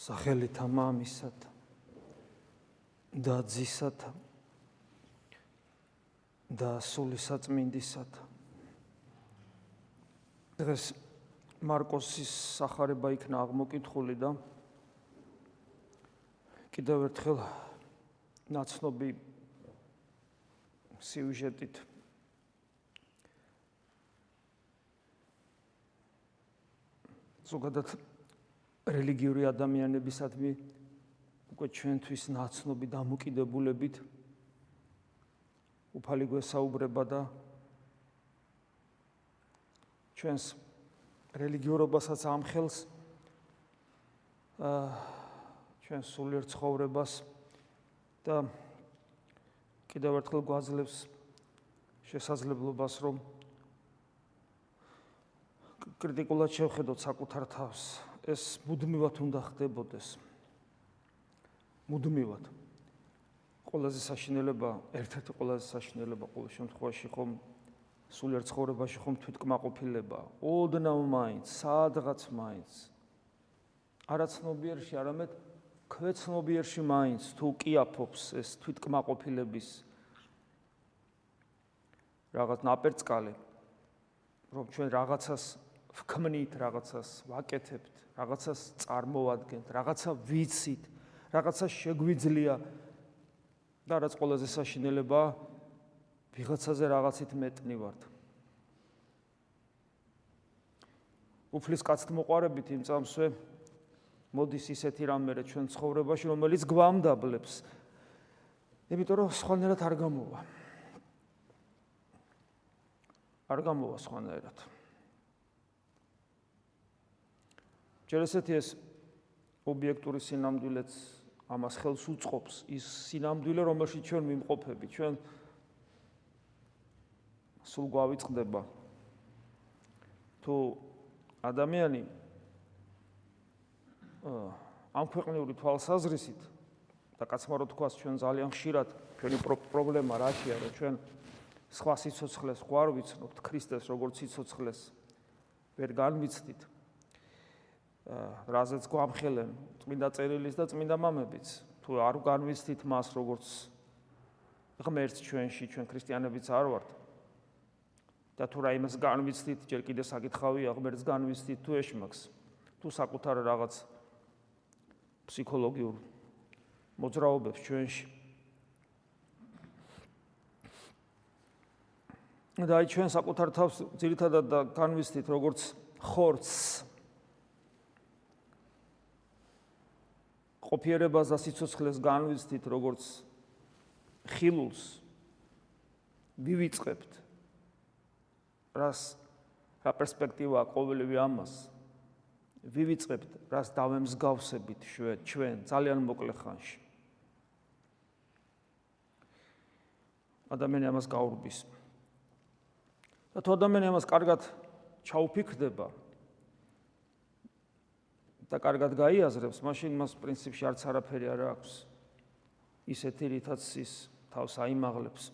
სახელითა მამისათა და ძისათა და სულისაწმინდისათა. დღეს მარკოსის სახარება იქნა აღმოკითხული და კიდევ ერთხელ ნაცნობი სიუჟეტით ზოგადად რელიგიური ადამიანებისადმი უკვე ჩვენთვის ნაცნობი დამოკიდებულებით უფალი გვესაუბრება და ჩვენს რელიგიურობასაც ამხელს ჩვენს სულიერ ცხოვრებას და კიდევ ერთხელ გვაძლევს შესაძლებლობას რომ კრიტიკულად შევხედოთ საკუთარ თავს. ეს მუდმივად უნდა ხდებოდეს. მუდმივად. ყველაზე საშინელება, ერთ-ერთი ყველაზე საშინელება ყოველ შემთხვევაში ხომ სულიერ ცხოვრებაში ხომ თვითკმაყოფილება. ოდნავ მაინც, სადღაც მაინც. არა ცნობიერში, არამედ ქვეცნობიერში მაინც თუ კიაფობს ეს თვითკმაყოფილების რაღაც ნაპერწკალი, რომ ჩვენ რაღაცას ვქმნით, რაღაცას ვაკეთებთ, რაღაცას წარმოვადგენთ, რაღაცა ვიცით, რაღაცა შეგვიძლია და რაც ყველაზე საშინელება, ვიღაცაზე რაღაცით მეტნი ვართ. უფლის კაცთ მოყარებით იმ წამსვე მოდის ისეთი რამე ჩვენ ცხოვრებაში, რომელიც გვამდაბლებს. იმიტომ რომ სხვანაირად არ გამოვა. არ გამოვა სხვანაირად. ჯერ ესეთი ეს ობიექტური სინამდვილეც ამას ხელს უწყობს, ის სინამდვილე, რომელშიც ჩვენ ვიმყოფებით, ჩვენ სულ გვავიწყდება. თუ ადამიანი ამ ქვეყნიური თვალსაზრისით და კაცმარო თქვას ჩვენ ძალიან ხშირად ჩვენი პრობლემა რაშია, რომ ჩვენ სხვა სიცოცხლეს გვარ ვიცნობთ, ქრისტეს როგორც სიცოცხლეს ვერ განვიცდით. რაზეც გვამხელენ წმინდა წერილის და წმინდა მამებიც. თუ არ განვიცდით მას როგორც ღმერთს ჩვენში, ჩვენ ქრისტიანებიც არ ვართ. და თუ რა იმას განვიცდით, ჯერ კიდე საკითხავია ღმერთს განვიცდით თუ ეშმაკს, თუ საკუთარ რაღაც ფსიქოლოგიურ მოძრაობებს ჩვენში. და აი ჩვენ საკუთარ თავს ძირითადად განვიცდით როგორც ხორცს. ყოფიერებას და სიცოცხლეს განვიცდით როგორც ხილულს. ვივიწყებთ რა პერსპექტივაა ყოველივე ამას. ვივიწყებთ რას დავემსგავსებით ჩვენ ძალიან მოკლე ხანში. ადამიანი ამას გაურბის. და თუ ადამიანი ამას კარგად ჩაუფიქრდება და კარგად გაიაზრებს, მაშინ მას პრინციპში არც არაფერი არ აქვს. ისეთი რითაც ის თავს აიმაღლებს.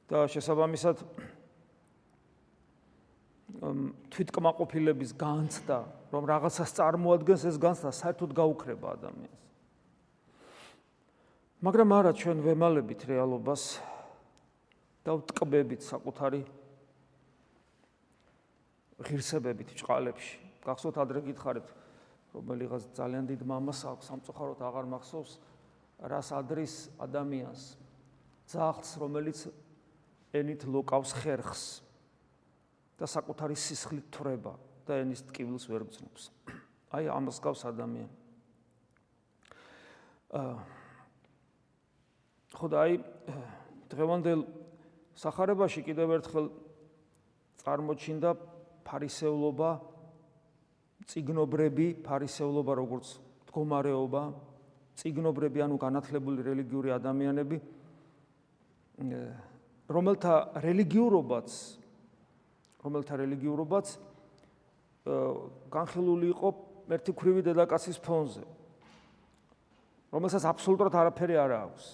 და შესაბამისად თვითკმაყოფილების განცდა, რომ რაღაცას წარმოადგენს, ეს განცდა საერთოდ გაუქრება ადამიანს. მაგრამ არა, ჩვენ ვემალებით რეალობას და ვტკბებით საკუთარი ღირსებებით ჭყალებში. გახსოვთ ადრე გითხარით, რომელიღაც ძალიან დიდ მამას აქვს, სამწუხაროდ აღარ მახსოვს, რას ადრის ადამიანს, ძაღლს, რომელიც ენით ლოკავს ხერხს და საკუთარი სისხლით თვრება და ენის ტკივილს ვერ გრძნობს. აი ამას გავს ადამიანი. ხო და აი დღევანდელ სახარებაში კიდევ ერთხელ წარმოჩინდა ფარისევლობა, წიგნობრები, ფარისევლობა როგორც მდგომარეობა, წიგნობრები, ანუ განათლებული რელიგიური ადამიანები, რომელთა რელიგიურობაც განხილული იყო ერთიქრივი დედაკაცის ფონზე, რომელსაც აბსოლუტურად არაფერი არ აქვს.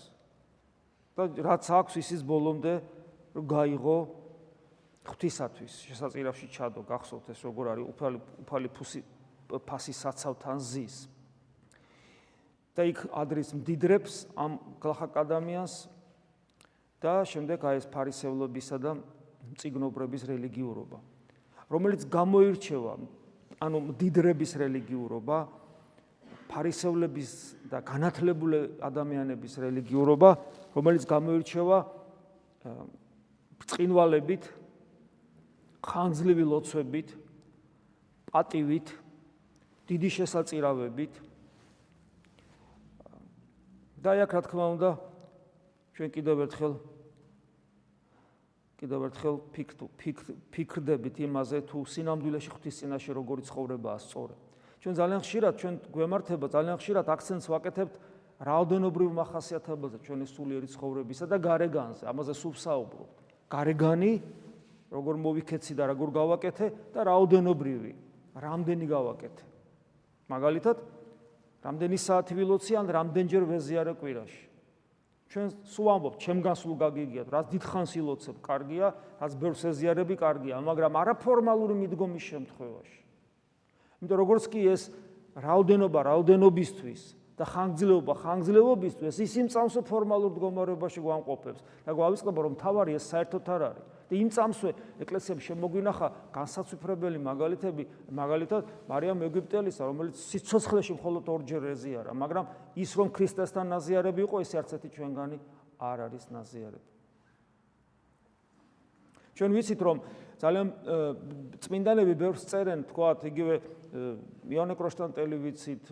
და რაც აქვს, ისის ბოლომდე გაიღო ღვთისათვის, შესაწირავში ჩადო, გახსოვთ ეს როგორ არის უფალი ფასის საცავთან ზის. და იქ ადრის მდიდრებს ამ გლახაკ ადამიანს და შემდეგ აი ეს ფარისევლობისა და მწიგნობრების რელიგიურობა, რომელიც გამოირჩევა, ანუ მდიდრების რელიგიურობა, ფარისევლების და განათლებული ადამიანების რელიგიურობა, რომელიც გამოირჩევა ბრწყინვალებით, ხანგრძლივი ლოცვებით, პატივით, დიდი შესაწირავებით. და აქ რა თქმა უნდა ჩვენ კიდევ ერთხელ ფიქრდებით იმაზე, თუ სინამდვილეში ღვთის წინაშე როგორი ცხოვრებაა სწორი. ჩვენ ძალიან ხშირად აქცენტს ვაკეთებთ რაოდენობრივ მახასიათებელზე ჩვენი სულიერი ცხოვრებისა და გარეგანზე. ამაზე სულ ვსაუბრობთ. გარეგანი როგორ მოვიქეცი და როგორ გავაკეთე და რაოდენობრივი, რამდენი გავაკეთე. მაგალითად, რამდენი საათი ვილოცი ან რამდენჯერ ვეზიარე კვირაში. ჩვენ სულ ამბობთ, ჩემგან სულ გაგიგიათ, რაც დიდხანს ილოცებ, კარგია, რაც ბევრს ეზიარები, კარგია, მაგრამ არაფორმალური მიდგომის შემთხვევაში. იმიტომ როგორც კი ეს რაოდენობა რაოდენობისთვის და ხანგრძლივობისთვის ის იმ წამსვე ფორმალურ მდგომარეობაში გვამყოფებს და გვავიწყდება, რომ თავარი ეს საერთოდ არ არის. და იმ წამსვე ეკლესიამ შემოგვინახა განსაცვიფრებელი მაგალითები, მაგალითად მარიამ ეგვიპტელისა, რომელიც სიცოცხლეში მხოლოდ ორჯერ ეზიარა, მაგრამ ის რომ ქრისტესთან ნაზიარები იყო, ეს არც ერთი ჩვენგანი არ არის ნაზიარები. ჩვენ ვიცით, რომ ძალიან წმინდანები ბევრს წერენ, თქვათ, იგივე იონე კროშტანტელი ვიცით,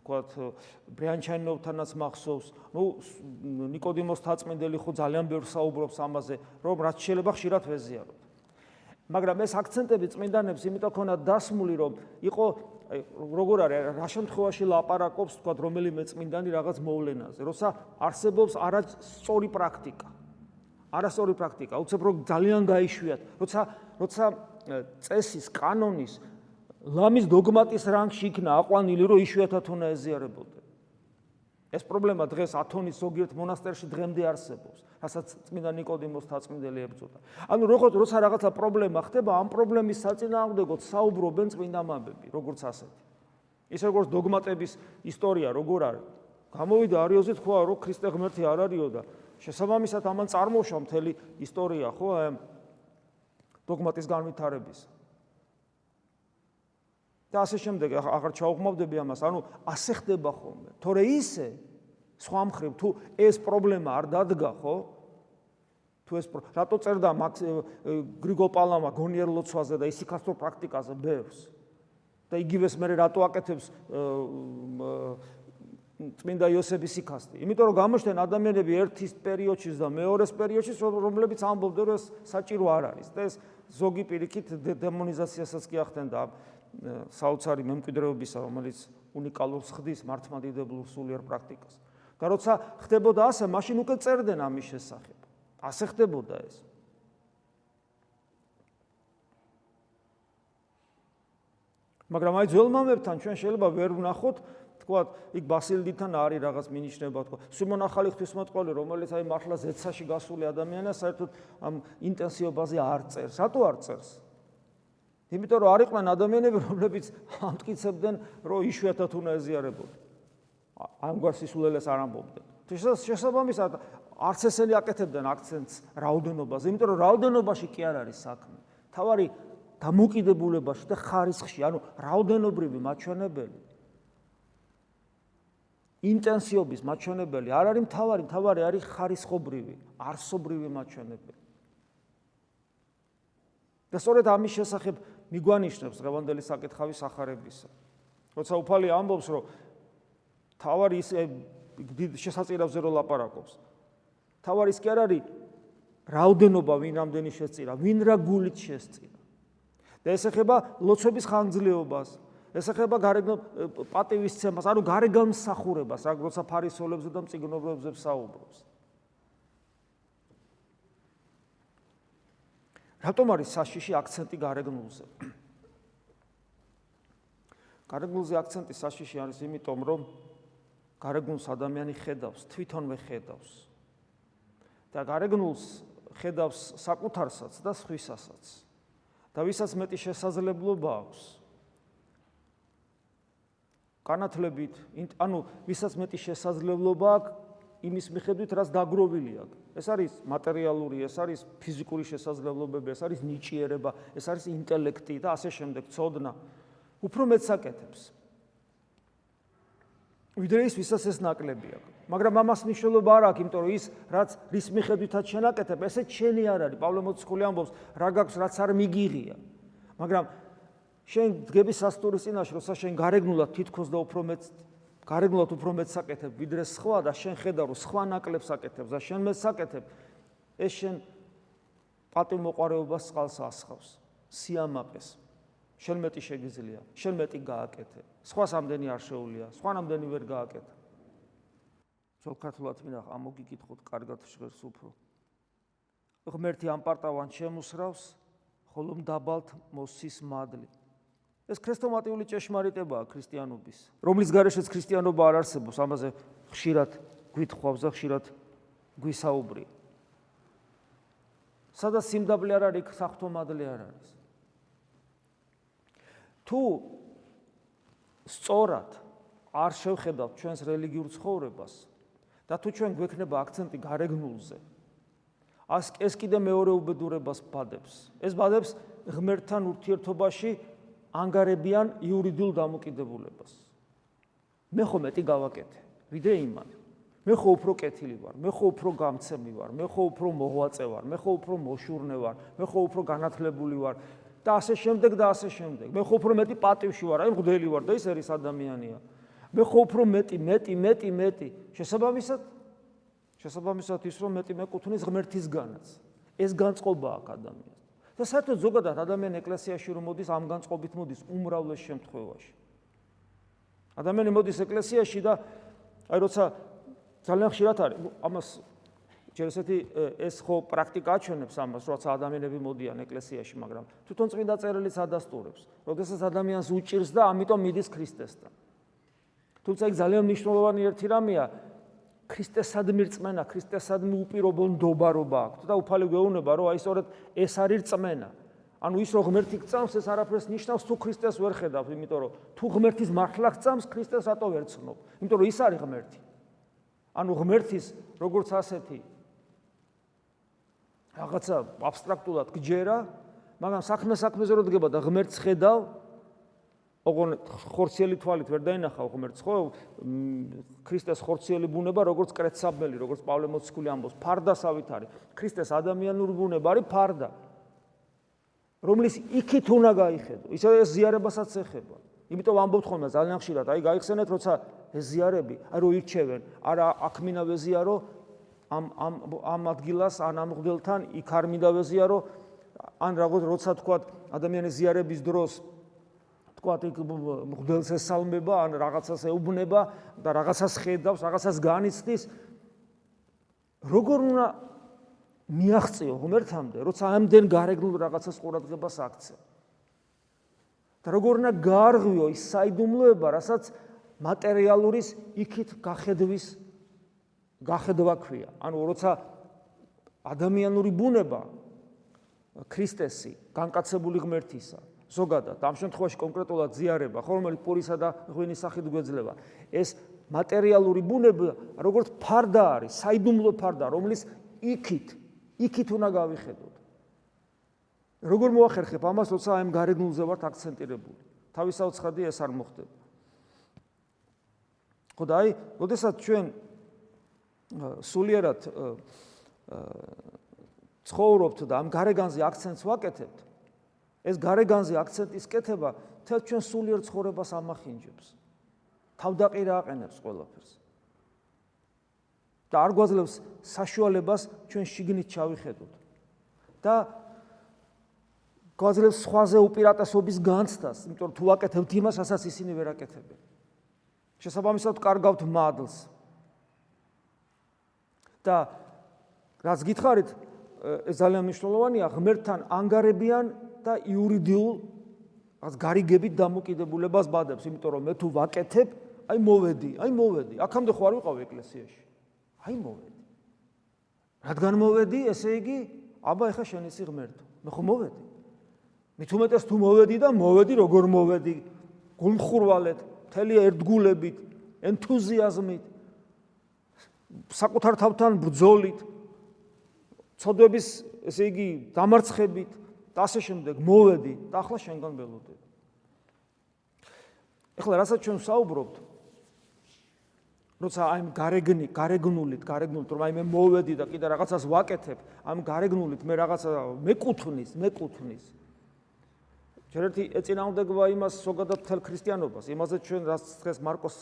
თქვათ, ბრიანჩაინოვთანაც მახსოვს, ნიკოდიმოს თაწმინდელი ხო ძალიან ბევრს საუბრობს ამაზე, რომ რაც შეიძლება ხშირად ვეზიაროთ. მაგრამ ეს აქცენტები წმინდანებს იმიტომ ქონათ დასმული, რომ იყო როგორ არის, რა შემთხვევაში ლაპარაკობს, თქვათ, რომელიმე წმინდანი რაღაც მოვლენაზე, როცა არსებობს არასწორი პრაქტიკა. არასწორი პრაქტიკა, უცებ რომ ძალიან გაიშვიათ, როცა წესის, კანონის, ლამის დოგმატის რანგში იქნა აყვანილი, რომ იშვიათად უნდა ეზიარებოდნენ. ეს პრობლემა დღეს ათონის ზოგიერთ მონასტერში დღემდე არსებობს, რასაც წმინდა ნიკოდიმოს თაწმინდელი ებრძოდა. ანუ როცა რაღაცა პრობლემა ხდება, ამ პრობლემის საწინააღმდეგოდ საუბრობენ წმინდა მამები, როგორც ასეთი. ის როგორც დოგმატების ისტორია როგორ არის. გამოვიდა არიოზი თქვა, რომ ქრისტე ღმერთი არ არისო და შესაბამისად ამან წარმოშვა მთელი ისტორია, ხო, აი დოგმატის განვითარების. და ასე შემდეგ, აღარ ჩაუღმავდები ამას, ანუ ასე ხდება ხოლმე. თორე ისე სხვა მხრივ თუ ეს პრობლემა არ დადგა, ხო? თუ ეს რატო წერდა გრიგოლ პალამა გონიერ ლოცვაზე და ისიქასტურ პრაქტიკაზე ბევრს? და იგივეს მე რატო აკეთებს წმინდა იოსების სიკასტი? იმიტომ რომ გამოჩნდნენ ადამიანები ერთის პერიოდში და მეორეს პერიოდში, რომლებიც ამბობდნენ, რომ ეს საჭირო არ არის. და ეს ზოგი პირიქით დემონიზაციასაც კი ახდენდა საოცარი მემკვიდრეობისა, რომელიც უნიკალურს ხდის მართლმადიდებლურ სულიერ პრაქტიკას. და როცა ხდებოდა ასე, მაშინ უკვე წერდნენ ამის შესახებ. ასე ხდებოდა ეს. მაგრამ აი ძველმამებთან ჩვენ შეიძლება ვერ ვნახოთ, თქვათ, იქ ბასილდიდან არის რაღაც მინიშნება, თქვა, სიმონ ახალი ღვთისმოწყალე, რომელიც აი მართლა ზეცაში გასული ადამიანია, საერთოდ ამ ინტენსივობაზე არ წერს. რატო არ წერს? იმიტომ რომ არ იყვნენ ადამიანები, რომლებიც ამტკიცებდნენ, რომ იშვიათად უნდა ეზიარებოდნენ. ამგვარ სისულელეს არ ამბობდნენ. შესაბამისად, არც ესენი აკეთებდნენ აქცენტს რაოდენობაზე, იმიტომ რომ რაოდენობაში კი არ არის საქმე. თავარი დამოკიდებულებაში და ხარისხში, ანუ რაოდენობრივი მაჩვენებელი, ინტენსივობის მაჩვენებელი არ არის მთავარი არის ხარისხობრივი, არსობრივი მაჩვენებელი. და სწორედ ამის შესახებ მიგვანიშნებს დღევანდელი საკითხავის ახარებისა. როცა უფალი ამბობს, რომ თავარი ის შესაწირავზე რო ლაპარაკობს. თავარი ის კი არ არის რაოდენობა, ვინ რამდენი შესწირა, ვინ რა გულით შესწირა. და ეს ეხება ლოცვების ხანგრძლივობას, ეს ეხება პატივისცემას, ანუ გარეგანმსახურებას, როცა ფარისევლებზე და მწიგნობრებზე საუბრობს. რატომ არის საშიში აქცენტი გარეგნულზე? გარეგნულზე აქცენტი საშიში არის იმიტომ, რომ გარეგნულს ადამიანი ხედავს, თვითონვე ხედავს. და გარეგნულს ხედავს საკუთარსაც და სხვისასაც. და ვისაც მეტი შესაძლებლობა აქვს, განათლებით, ანუ ვისაც მეტი შესაძლებლობა აქვს იმის მიხედვით, რაც დაგროვილი აქვს. ეს არის მატერიალური, ეს არის ფიზიკური შესაძლებლობები, ეს არის ნიჭიერება, ეს არის ინტელექტი და ასე შემდეგ, ცოდნა. უფრო მეტს აკეთებს. ვიდრე ის, ვისაც ეს ნაკლები აქვს. მაგრამ ამას მნიშვნელობა არ აქვს, იმიტომ რომ ის, რაც რის მიხედვითაც შენ აკეთებ, ესეც შენი არ არის. პავლე მოციქული ამბობს, რა გაქვს, რაც არ მიგიღია. მაგრამ შენ დგები სასტურის წინაშე, როცა შენ გარეგნულად თითქოს და გარეგნულად უფრო მეტს აკეთებ, ვიდრე სხვა და შენ ხედავ, რომ სხვა ნაკლებს აკეთებს და შენ მეტს აკეთებ, ეს შენ პატივმოყვარეობას წყალს ასხავს, სიამაყეს. შენ მეტი შეგიძლია, შენ მეტი გააკეთე. სხვას ამდენი არ შეუძლია, სხვან ამდენი ვერ გააკეთა. ძველ ქართულად მინახ, ამოგიკითხოთ კარგად ჟღერს უფრო. ღმერთი ამპარტავან შემუსრავს, ხოლო მდაბალთ მოსის მადლი. ეს ქრესტომატიული ჭეშმარიტებაა ქრისტიანობის, რომლის გარეშეც ქრისტიანობა არ არსებობს, ამაზე ხშირად გვითხოვს და ხშირად გვისაუბრია. სადაც სიმდაბლე არ არის, საღვთო მადლი არ არის. თუ სწორად არ შევხედავთ ჩვენს რელიგიურ ცხოვრებას და თუ ჩვენ გვექნება აქცენტი გარეგნულზე, ეს კიდე მეორე უბედურებას ბადებს. ეს ბადებს ღმერთთან ურთიერთობაში ანგარებიან იურიდიულ დამოკიდებულებას. მე ხო მეტი გავაკეთე, ვიდრე იმან. მე ხო უფრო კეთილი ვარ, მე ხო უფრო გამცემი ვარ, მე ხო უფრო მოღვაწე ვარ, მე ხო უფრო მოშურნე ვარ, მე ხო უფრო განათლებული ვარ და ასე შემდეგ და ასე შემდეგ. მე ხო უფრო მეტი პატივში ვარ, აი მღვდელი ვარ და ის არის ადამიანია. მე ხო უფრო მეტი. შესაბამისად ის რომ მეტი მეკუთვნის ღმერთისგანაც. ეს განწყობა აქვს ადამიანს. და საერთოდ ზოგადად ადამიანი ეკლესიაში რომ მოდის, ამ განწყობით მოდის უმრავლეს შემთხვევაში. ადამიანი მოდის ეკლესიაში და აი როცა ძალიან ხშირად არის, ამას ჯერ ესეთი ეს ხო პრაქტიკა აჩვენებს ამას, როცა ადამიანები მოდიან ეკლესიაში, მაგრამ თვითონ წმინდა წერილიც ადასტურებს, როდესაც ადამიანს უჭირს და ამიტომ მიდის ქრისტესთან. თუმცა იქ ძალიან მნიშვნელოვანი ერთი რამეა, ქრისტესადმი რწმენა, ქრისტესადმი უპირობო ნდობარობა აქვს და უფალი გვეუბნება, რომ აი სწორედ ეს არის რწმენა. ანუ ის რომ ღმერთი გწამს, ეს არაფერს ნიშნავს, თუ ქრისტეს ვერ ხედავ, იმიტომ რომ თუ ღმერთის მართლა გწამს, ქრისტეს რატო ვერ ცნობ? იმიტომ რომ ის არის ღმერთი. ანუ ღმერთის როგორც ასეთი რაღაცა აბსტრაქტულად გჯერა, მაგრამ საქმეზე რო დგება და ღმერთს ხედავ, ოღონდ ხორციელი თვალით ვერ დაინახავ ღმერთს, ხო? ქრისტეს ხორციელი ბუნება, როგორც კრეცაბელი, როგორც პავლე მოციქული ამბობს, ფარდასავით არის. ქრისტეს ადამიანური ბუნება არის ფარდა, რომლის იქით უნდა გაიხედო. ისე ეს ზიარებასაც ეხება. იმიტომ ამბობთ ხოლმე ძალიან ხშირად, აი გაიხსენეთ, როცა ეს ზიარები, აი რო ირჩევენ, არა აქ მინდა ვეზიარო ამ ადგილას, ან ამ მღვდელთან, იქ არ მინდა ვეზიარო, ან რაღაც როცა თქვა ადამიანის ზიარების დროს თქვათ იქ მღვდელს ესალმება, ან რაღაცას ეუბნება და რაღაცას ხედავს, რაღაცას განიცდის. როგორ უნდა მიაღწიო ღმერთამდე, როცა ამდენ გარეგნულ რაღაცას ყურადღებას აქცევ? და როგორ უნდა გაარღვიო ის საიდუმლოება, რასაც მატერიალურის იქით გახედვა ქვია. ანუ როცა ადამიანური ბუნება ქრისტესი, განკაცებული ღმერთისა, ზოგადად, ამ შემთხვევაში კონკრეტულად ზიარება, რომელიც პურისა და ღვინის სახით გვეძლება. ეს მატერიალური ბუნება, როგორც ფარდა არის, საიდუმლო ფარდა, რომლის იქით უნდა გავიხედოთ. როგორ მოახერხებ ამას, როცა ამ გარეგნულზე ვართ აქცენტირებული? თავისაუცხადი ეს არ მოხდება. ხო და აი, როდესაც ჩვენ სულიერად ცხოვრობთ და ამ გარეგანზე აქცენტს ვაკეთებთ, ეს გარეგანზე აქცენტის კეთება თელ ჩვენ სულიერ ცხოვრებას ამახინჯებს. თავდაყირა აყენებს ყველაფერს. და არ გვაძლევს საშუალებას ჩვენ შიგნით ჩავიხედოთ. და გვაძლევს სხვაზე უპირატესობის განცდას, იმიტომ რომ თუ ვაკეთებთ იმას, რასაც ისინი ვერ აკეთებენ. შესაბამისად კარგავთ მადლს. და რაც გითხარით, ეს ძალიან მნიშვნელოვანია, ღმერთთან ანგარებიან და იურიდიულ რაღაც გარიგებით დამოკიდებულებას ბადებს, იმიტომ რომ მე თუ ვაკეთებ, აი მოვედი. აქამდე ხო არ ვიყავ ეკლესიაში. აი მოვედი. რადგან მოვედი, ესე იგი, აბა ეხა შენ ისი ღმერთო. მე ხო მოვედი. მით უმეტეს თუ მოვედი და მოვედი, როგორ მოვედი? გულმხურვალედ, მთელი ერთგულებით, ენთუზიაზმით, საკუთარ თავთან ბრძოლით, ცოდვების, ესე იგი, დამარცხებით და ასე შემდეგ მოვედი და ახლა შენგან ველოდები. ეხლა რასაც ჩვენ ვსაუბრობთ, როცა აი გარეგნულით, რომ აი მე მოვედი და კიდე რაღაცას ვაკეთებ, ამ გარეგნულით მე რაღაცა მეკუთვნის. ჯერ ერთი ეწინააღმდეგება იმას ზოგადად მთელ ქრისტიანობას, იმაზე ჩვენ რაც დღეს მარკoses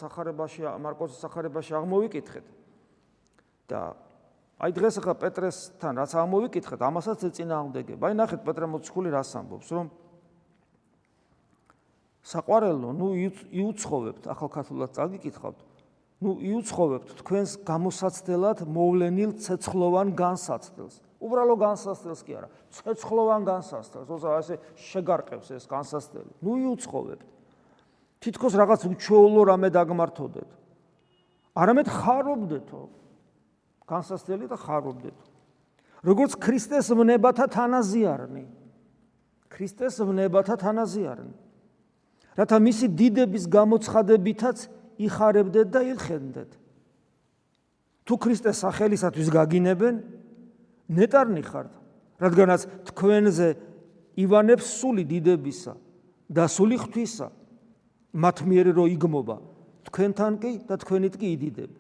სახარებაში აღმოვიკითხეთ. და აი დღეს ახლა პეტრესთან რაც აღმოვიკითხეთ, ამასაც ეწინააღმდეგება. აი ნახეთ პეტრე მოციქული რას ამბობს, რომ საყვარელო, იუცხოვებთ, ახალქართულად წაგიკითხავთ, იუცხოვებთ თქვენს გამოსაცდელად მოვლენილ ცეცხლოვან განსაცდელს. უბრალო განსაცდელს კი არა, ცეცხლოვან განსაცდელს, როცა ასე შეგარყევს ეს განსაცდელი. იუცხოვებთ. თითქოს რაღაც უჩვეულო რამე დაგმართოდეთ. არამედ ხარობდეთო. განსაცდელი და ხარობდეთო. როგორც ქრისტეს ვნებათა თანაზიარნი. რათა მისი დიდების გამოცხადებითაც იხარებდეთ და ილხენდეთ. თუ ქრისტეს სახელისათვის გაგინებენ, ნეტარნი ხართ, რადგანაც თქვენზე ივანებს სული დიდებისა და სული ღვთისა, მათ მიერ რო იგმობა, თქვენთან კი და თქვენით კი იდიდებ.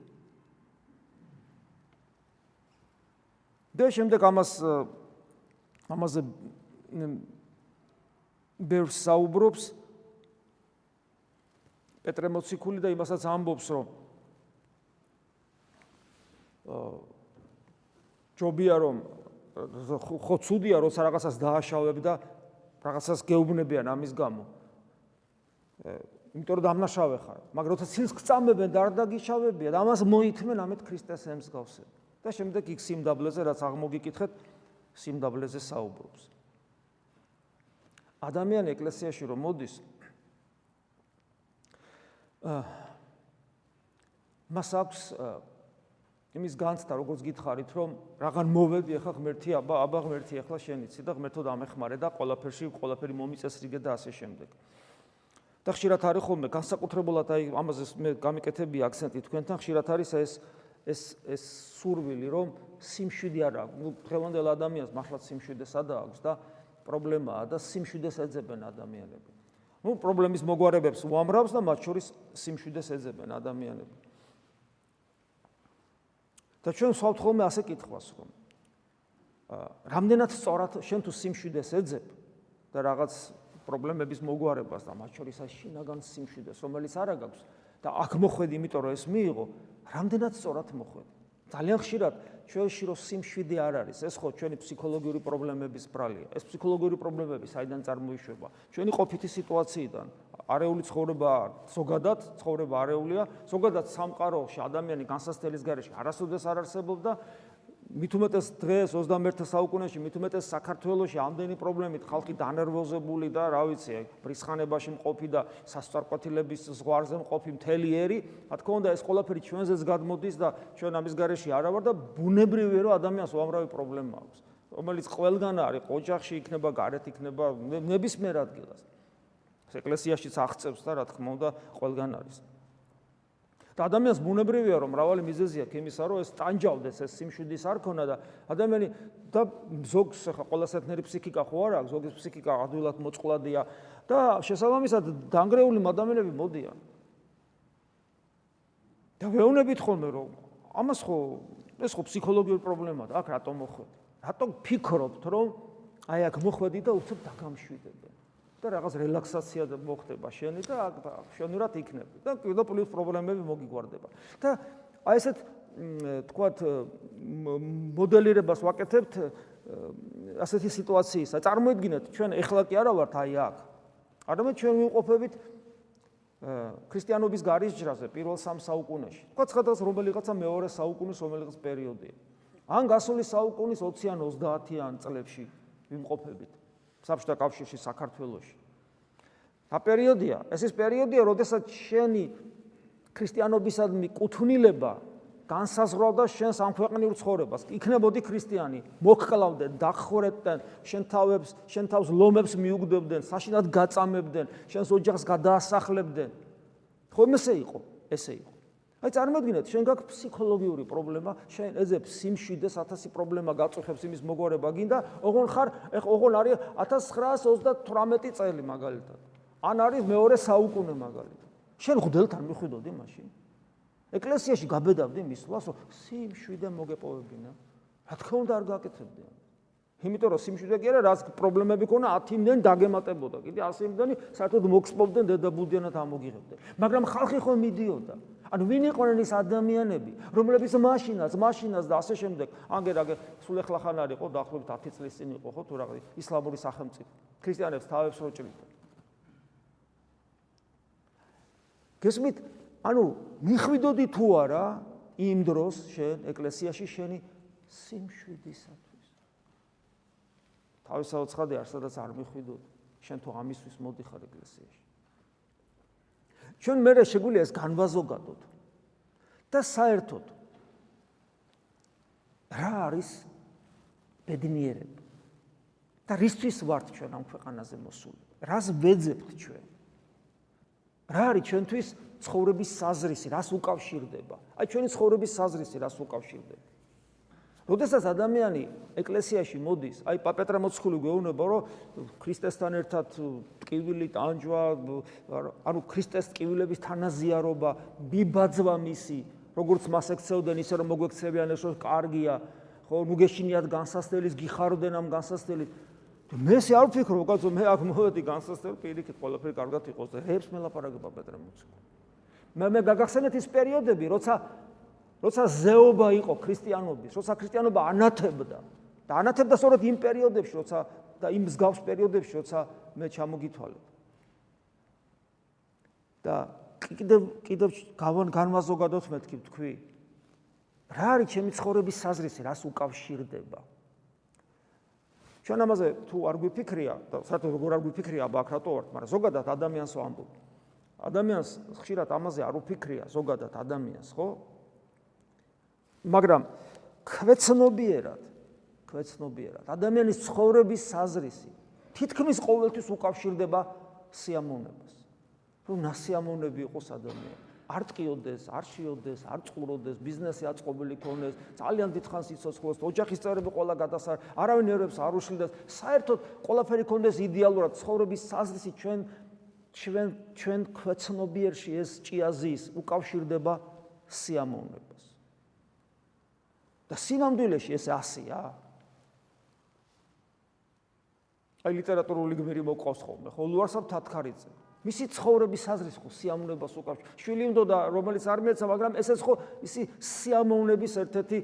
და შემდეგ ამაზე ბევრს საუბრობს პეტრე მოციქული და იმასაც ამბობს, რომ ჯობია რომ ხო ცუდია როცა რაღაცას დააშავებ და რაღაცას გეუბნებიან ამის გამო. იმიტომ რომ დამნაშავე ხარ, მაგრამ როცა ცილს გწამებენ და არ დაგიშავებიან, ამას მოითმენ ამეთ ქრისტეს ემსგავსებ. და შემდეგ იქ სიმდაბლეზე რაც აღმოგიკითხეთ, სიმდაბლეზე საუბრობს. ადამიანი ეკლესიაში რომ მოდის, მას აქვს იმის განცდა, როგორც გითხარით, რომ რაღაც მოვედი, ახლა ღმერთი, აბა ღმერთი, ახლა შენიცი და ღმერთო დამეხმარე და ყველაფერი მომიწესრიგე და ასე შემდეგ. და ხშირად არის ხოლმე განსაკუთრებულად აი ამაზე მე გამიკეთები აქცენტი თქვენთან, ხშირად არის ეს სურვილი, რომ სიმშვიდე არ აქვს. დღევანდელ ადამიანს მართლაც სიმშვიდე სადა აქვს და პრობლემაა და სიმშვიდეს ეძებენ ადამიანები. პრობლემის მოგვარებებს უამრავს და მათ შორის სიმშვიდეს ეძებენ ადამიანები. და ჩვენ ვსვავთ ხოლმე ასე კითხვას, რომ რამდენად სწორად შენ თუ სიმშვიდეს ეძებ და რაღაც პრობლემების მოგვარებას და მათ შორის ეს შინაგან სიმშვიდეს, რომელიც არა გაქვს და აქ მოხვედი, იმიტომ რომ ეს მიიღო, რამდენად სწორად მოხვედი. ძალიან ხშირად ჩვენში რომ სიმშვიდე არ არის, ეს ხო ჩვენი ფსიქოლოგიური პრობლემების ბრალია. ეს ფსიქოლოგიური პრობლემები საიდან წარმოიშვება? ჩვენი ყოფითი სიტუაციიდან. არეული ცხოვრება, ზოგადად ცხოვრებაარეულია, ზოგადად სამყაროში ადამიანი განსაცდელის გარეშე არასოდეს არ არსებობდა. მით უმეტეს დღეს 21 საუკუნეში, მით უმეტეს საქართველოში ამდენი პრობლემით ხალხი დანერვოზებული და რა ვიცი, ბრისხანებაში მყოფი და სასწორკვეთილების ზღვარზე მყოფი მთელი ერი, რა თქმა უნდა ეს ყველაფერი ჩვენზეც გადმოდის და ჩვენ ამის გარეშე არა ვარ და ბუნებრივია რომ ადამიანს უამრავი პრობლემა აქვს, რომელიც ყველგან არის, ოჯახში იქნება, გარეთ იქნება, ნებისმიერ ადგილას. ეკლესიაშიც აღწევს და რა თქმა უნდა ყველგან არის. და ადამიანს ბუნებრივია რომ მრავალი მიზეზი აქვს იმისა, რომ ეს ტანჯავდეს, ეს სიმშვიდის არ ქონა და ადამიანი და ზოგს ახლა ყველას ერთნაირი ფსიქიკა ხო არ აქვს, ზოგის ფსიქიკა ადვილად მოწყვლადია და შესაბამისად დანგრეული ადამიანები მოდიან. და ვეუბნებით ხოლმე რომ ამას ხო ეს ხო ფსიქოლოგიური პრობლემაა, აქ რატომ მოხვედი? რატომ ფიქრობთ რომ აი აქ მოხვედი და უცებ დაგამშვიდებენ? და რაღაც რელაქსაცია მოხდება შენი და შენურად იქნები და კიდევ პლუს პრობლემები მოგიგვარდება. და აი ესეთ თქვათ მოდელირებას ვაკეთებთ ასეთი სიტუაციისა. წარმოიდგინეთ, ჩვენ ეხლა კი არა ვართ აი აქ. არამედ ჩვენ ვიმყოფებით ქრისტიანობის გარისჯრაზე პირველ 3 საუკუნეში. თქვათ სხვადასხვა რომელიღაცა მეორე საუკუნის რომელიღაც პერიოდია. ან გასული საუკუნის 20-ან 30-იან წლებში ვიმყოფებით. საბჭოთა კავშირში, საქართველოში. რა პერიოდია? ეს ის პერიოდია, როდესაც შენი ქრისტიანობისადმი კუთვნილება განსაზღვრავდა შენს ამ ქვეყნიურ ცხოვრებას. იქნებოდი ქრისტიანი, მოგკლავდნენ, დახვრეტდნენ, შენ თავს ლომებს მიუგდებდნენ, საშინად გაწამებდნენ, შენს ოჯახს გადაასახლებდნენ. ხო, ხომ ესე იყო. აი წარმოიდგინეთ, შენ გაქვს ფსიქოლოგიური პრობლემა, შენ ეძებს სიმშვიდეს 1000 პრობლემა გაწუხებს იმის მოგვარება გინდა, ოღონ ხარ, ოღონ არის 1938 წელი მაგალითად. ან არის მეორე საუკუნე მაგალითად. შენ ღვთელთან მიხვიდოდი მაშინ? ეკლესიაში გაბედავდი მისვლას, რომ სიმშვიდე მოგეპოვებინა. რა თქმა უნდა არ გაკეთებდი. იმიტომ რომ სიმშვიდე კი არა, რაც პრობლემები ქონა 10 იმდენი დაგემატებოდა. კიდე 100 იმდენი საერთოდ მოგსპობდნენ დედაბუდიანად ამოგიღებდნენ. მაგრამ ხალხი ხო მიდიოდა. ანუ ვინ იყვნენ ის ადამიანები, რომლებიც მაშინაც და ასე შემდეგ, ანგერაგე სულ ეხლა ხან არის ხო დაახლოებით 10 წლის წინ იყო ხო თუ რაღაც ისლამური სახელმწიფო. ქრისტიანებს თავებს რო ჭრიდა. გესმით, ანუ მიხვიდოდი თუ არა იმ დროს შენ ეკლესიაში შენი სიმშვიდისათვის. თავის საოცხადე არ სადაც არ მიხვიდოდი, შენ თუ ამისთვის მოდიხარ ეკლესიაში. ჩვენ მერე შეგვიძლია ეს განვაზოგადოთ და საერთოდ რა არის ბედნიერება და რისთვის ვართ ჩვენ ამ ქვეყანაზე მოსული? რას ვეძებთ ჩვენ? რა არის ჩვენთვის ცხოვრების საზრისი, რას უკავშირდება? აი ჩვენი ცხოვრების საზრისი რას უკავშირდება? როდესაც ადამიანი ეკლესიაში მოდის, აი პეტრე მოციქული გვეუბნება, რომ ქრისტესთან ერთად ტკივილი, ტანჯვა, ანუ ქრისტეს ტკივილების თანაზიარობა, ბიბაძვა მისი, როგორც მას ექცეოდნენ, ისე რომ მოგვექცევიან, ეს კარგია, ხო, ნუ გეშინიათ განსასწრელის, გიხარდნენ ამ განსასწრელის. მე ესე არ ვფიქრობ, კაცო, მე აქ მოვედი განსასწრელი, პირიქით ყველაფერი კარგად იყოს და რებს მელაპარაკება პეტრე მოციქული. მე გაგახსენეთ ის პერიოდები, როცა ზეობა იყო ქრისტიანობის, როცა ქრისტიანობა ანათებდა და ანათებდა სწორედ იმ პერიოდებში, როცა და იმ მსგავს პერიოდებში, როცა მე ჩამოგითვალეთ. და კიდევ განვაზოგადოთ მეთქი თქვი. რა არის ჩემი ცხოვრების საზრისი, რას უკავშირდება? ჩვენ ამაზე თუ არ გვიფიქრია და საერთოდ როგორ არ გვიფიქრია, აბა აქ რატო ვართ, მაგრამ ზოგადად ადამიანს ვამბობ. ადამიანს ხშირად ამაზე არ უფიქრია ზოგადად ადამიანს, ხო? მაგრამ ქვეცნობიერად ადამიანის ცხოვრების საზრისი თითქმის ყოველთვის უკავშირდება სიამოვნებას. რომ ნასიამოვნები იყოს ადამიანი. არ ტყიოდეს, არ შიოდეს, არ წყუროდეს, ბიზნესი აწყობილი ქონდეს, ძალიან დიდხანს იცოცხლოს, ოჯახის წევრები ყველა გადასარ, არავინ ერებს არ უშლდეს, საერთოდ ყველაფერი ქონდეს იდეალურად, ცხოვრების საზრისი ჩვენ ქვეცნობიერში ეს ჭიაზის უკავშირდება სიამოვნებას. და სინამდვილეში ეს ასია. აი ლიტერატურული გმირი მოყავს ხოლმე, ხო ლუარსაბ თათქარიძე. მისი ცხოვრების საზრისი ხო სიამოვნებას უკავშირდება. შვილი უნდა რომელიც არ მეცა, მაგრამ ესეც ხო ისი სიამოვნების ერთ-ერთი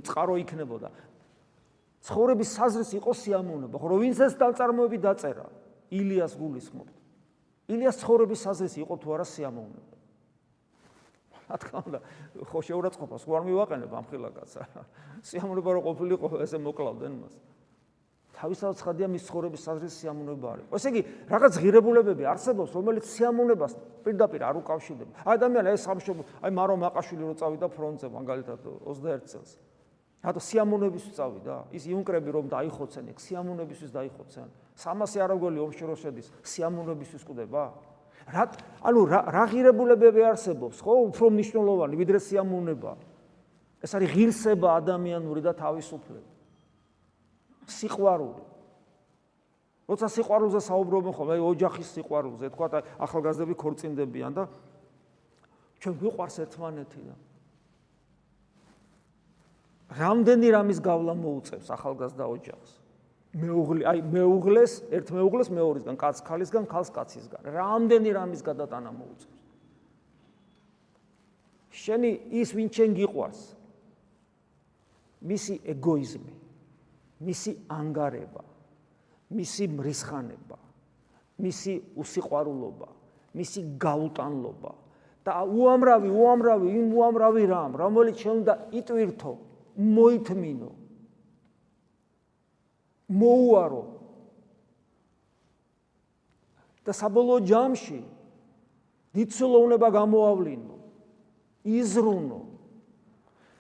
წყარო იქნებოდა. ცხოვრების საზრისი იყო სიამოვნება, ხო რომ ვინც ეს ნაწარმოები დაწერა, ილიას გულისხმობთ. ილიას ცხოვრების საზრისი იყო თუ არა სიამოვნება. რა თქმა უნდა, ხო შეურაცხყოფას ხო არ მივაყენებ ამ ხილაკაცს. სიამოვნება რო ყოფილიყო, ესე მოკლავდნენ მას. თავისთავად ცხადია მის ცხოვრების საზრისი სიამოვნება არის. ესე იგი, რაღაც ღირებულებები არსებობს, რომელიც სიამოვნებას პირდაპირ არ უკავშირდება. ადამიანი ეს სამშობლო, აი მარო მაყაშვილი რო წავიდა ფრონტზე მაგალითად 21 წელს. რატო სიამოვნებისთვის წავიდა? ის იუნკრები რომ დაიხოცენ, ეგ სიამოვნებისთვის დაიხოცენ. 300 არაგველი ომში რო შედის, სიამოვნებისთვის კვდება? ანუ რა ღირებულებები არსებობს, ხო, უფრო მნიშვნელოვანი ვიდრე სიამოვნება. ეს არის ღირსება ადამიანური და თავისუფლება. სიყვარული. როცა სიყვარულზე საუბრობენ ხოლმე, აი ოჯახის სიყვარულზე, თქვა ახალგაზრდები ქორწინდებიან და ჩვენ გვიყვარს ერთმანეთი და რამდენი რამის გავლა მოუწევს ახალგაზრდა ოჯახს. მეუღლეს, ერთ მეუღლეს მეორისგან, კაცს ქალისგან, ქალს კაცისგან. რამდენი რამის გადატანა მოუწევს. შენი ის ვინ შენ გიყვარს. მისი ეგოიზმი, მისი ანგარება, მისი მრისხანება, მისი უსიყვარულობა, მისი გაუტანლობა და უამრავი რამ, რომელიც შენ უნდა იტვირთო, მოითმინო, მოუარო და საბოლოო ჯამში დიდსულოვნება გამოავლინო, იზრუნო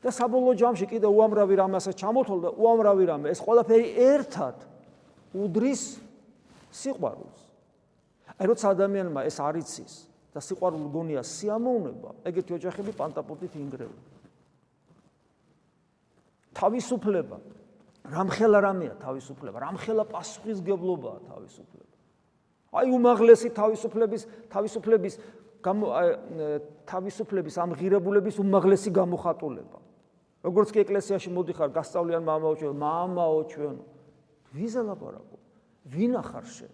და საბოლოო ჯამში კიდე უამრავი რამ ასე ჩამოთვალ და უამრავი რამ ეს ყველაფერი ერთად უდრის სიყვარულს. აი როცა ადამიანმა ეს არ იცის და სიყვარული გონია სიამოვნება, ეგეთი ოჯახები პანტაპოტით ინგრევა. თავისუფლება, რამხელა რამეა თავისუფლება, რამხელა პასუხისგებლობაა თავისუფლება. აი უმაღლესი თავისუფლების ამ ღირებულების უმაღლესი გამოხატულება. როგორც კი ეკლესიაში მოდიხარ, გასწავლიან მამაო ჩვენ. ვიზე ლაპარაკობ? ვინ ახარ შენ?